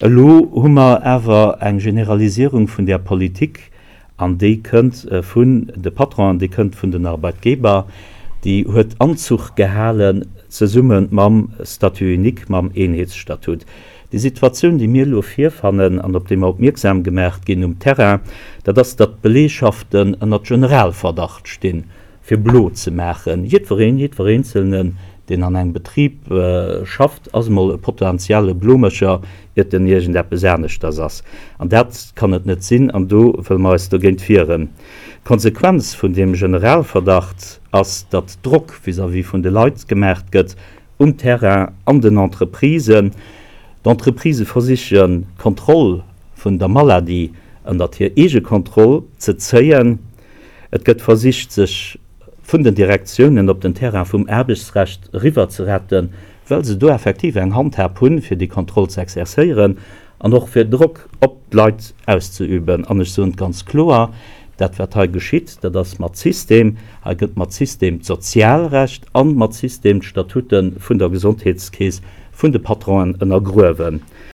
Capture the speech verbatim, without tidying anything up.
Elo hu mer awer eng Generalisierung vun där Politik, an déi kënnt vun de Patronen, déi kënnt vun den Arbeitgeber, déi huet Anzuch gehalen zesumme mam Statut unique, mam Eenheetsstatut. Déi Situatioun, déi mir elo virfannen an op déi mer opmierksam gemaach ginn um Terrain, dat ass, datt d'Beleegschaften ënnert Generalverdacht stinn, fir blo ze maachen. Jiddwereen, jiddwer Eenzelnen, deen an engem Betrib schafft, ass emol e potentielle Blomécher, iert en iergendeppes aneschters ass. An dat kann et net sinn, an do wëlle mer eis dogéint wieren. D'Konsequenz vun deem Generalverdacht ass, datt Drock vis-à-vis vun de Leit gemaach gëtt um Terrain, an den Entreprisen. D'Entreprisë versichen, d'Kontroll vun der Maladie ënnert hir eege Kontroll ze zéien. Et gëtt versicht, sech vun den Direktiounen op den Terrain vum Aarbechtsrecht eriwwer ze retten, well se do effektiv eng Handhab hunn, fir déi Kontroll ze exercéieren an och fir Drock op d'Leit auszeüben. An ech soen et ganz kloer, Dat, wat hei geschitt, dat ass mat System. Hei gëtt mat System d'Sozialrecht a mat System d'Statute vun der Gesondheetskeess vun de Patronen ënnergruewen.